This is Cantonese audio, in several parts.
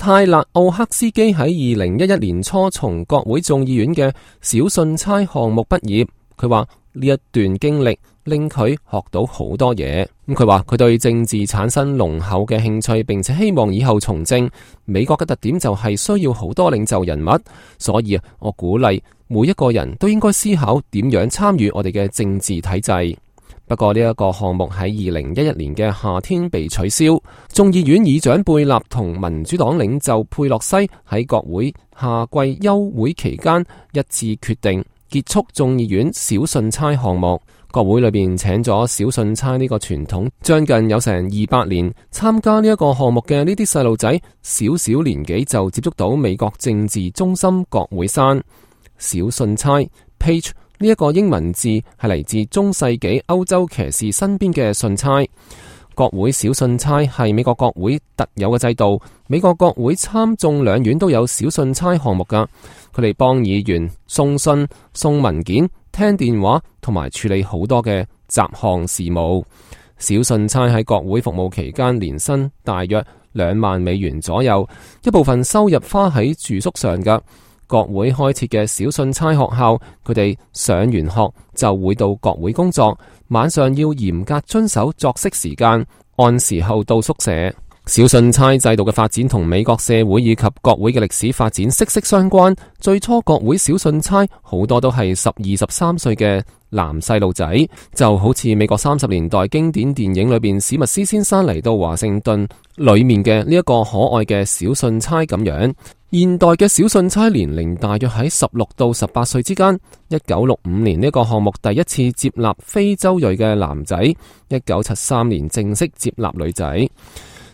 泰勒奧克斯基喺2011年初從國會眾議院嘅小信差項目畢業。佢話呢一段經歷令佢學到好多嘢。佢話佢對政治產生濃厚嘅興趣，並且希望以後從政。美國嘅特點就係需要好多領袖人物，所以我鼓勵每一個人都應該思考點樣參與我哋嘅政治體制。不過呢一個項目喺2011年嘅夏天被取消。眾議院議長貝納同民主黨領袖佩洛西喺國會夏季休會期間一致決定結束眾議院小信差項目。國會裏邊請咗小信差呢個傳統將近有成200年，參加呢一個項目嘅呢啲細路仔，小小年紀就接觸到美國政治中心國會山。小信差 Page 呢一個英文字係嚟自中世紀歐洲騎士身邊嘅信差。國會小信差係美國國會特有嘅制度，美國國會參眾兩院都有小信差項目㗎。佢哋幫議員送信、送文件、聽電話同埋處理好多嘅雜項事務。小信差喺國會服務期間年薪大約2萬美元左右，一部分收入花喺住宿上㗎。國會開設嘅小信差學校，佢哋上完學就會到國會工作，晚上要嚴格遵守作息時間，按時候到宿舍。小信差制度嘅發展同美國社會以及國會嘅歷史發展息息相關。最初國會小信差好多都係12、13歲嘅男細路仔，就好似美國30年代經典電影裏邊史密斯先生嚟到華盛頓裏面嘅呢一個可愛嘅小信差咁樣。現代嘅小信差年齡大約喺16到18歲之間。1965年呢個項目第一次接納非洲裔嘅男仔，1973年正式接納女仔。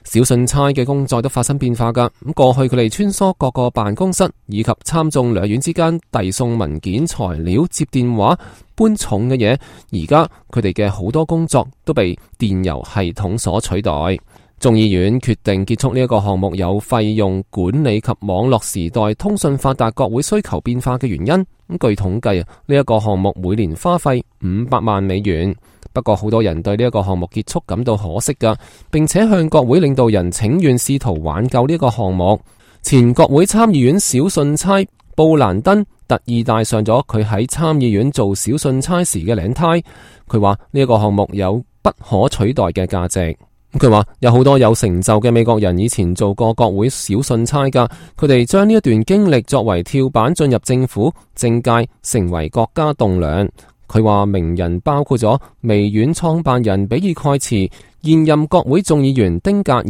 小信差嘅工作都發生變化㗎。咁過去佢哋穿梭各個辦公室以及參眾兩院之間遞送文件、材料、接電話、搬重嘅嘢。而家佢哋嘅好多工作都被電郵系統所取代。眾議院決定結束呢一個項目，有費用管理及網絡時代通訊發達、國會需求變化嘅原因。咁據統計呢一個項目每年花費500萬美元。不過好多人對呢一個項目結束感到可惜㗎，並且向國會領導人請願，試圖挽救呢個項目。前國會參議院小信差布蘭登特意戴上咗佢喺參議院做小信差時嘅領呔。佢話呢一個項目有不可取代嘅價值。佢話有好多有成就嘅美國人以前做過國會小信差㗎，佢哋將呢一段經歷作為跳板進入政府政界，成為國家棟樑。佢話名人包括咗微軟創辦人比爾蓋茨、現任國會眾議員丁格爾、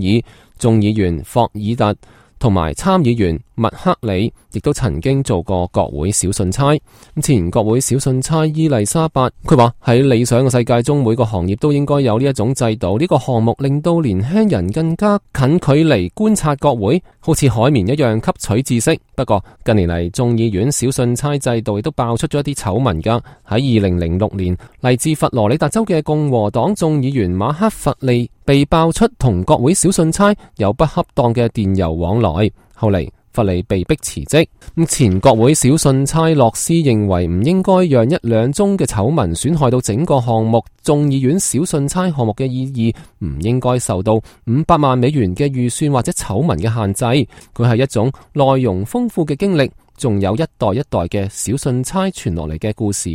眾議員霍爾特同埋參議員麥克里，亦都曾經做過國會小信差。前國會小信差伊麗莎白，佢話喺理想嘅世界中，每個行業都應該有呢一種制度。呢個項目令到年輕人更加近距離觀察國會，好似海綿一樣吸取知識。不過近年嚟，眾議院小信差制度亦都爆出咗一啲醜聞㗎。喺2006年，嚟自佛羅里達州嘅共和黨眾議員馬克弗利被爆出同國會小信差有不恰當嘅電郵往來，後嚟弗利被迫辭職。前國會小信差洛斯認為唔應該讓1、2宗嘅醜聞損害到整個項目。眾議院小信差項目嘅意義唔應該受到500萬美元嘅預算或者醜聞嘅限制。佢係一種內容豐富嘅經歷，仲有一代一代嘅小信差傳落嚟嘅故事。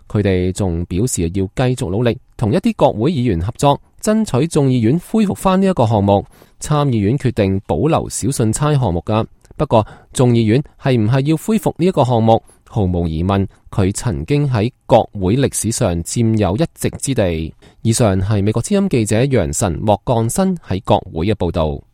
佢哋仲表示要繼續努力，同一啲國會議員合作，爭取眾議院恢復翻呢一個項目。參議院決定保留小信差項目㗎。不過眾議院係唔係要恢復呢一個項目？毫無疑問，佢曾經喺國會歷史上佔有一席之地。以上係美國之音記者楊晨莫幹新喺國會嘅報道。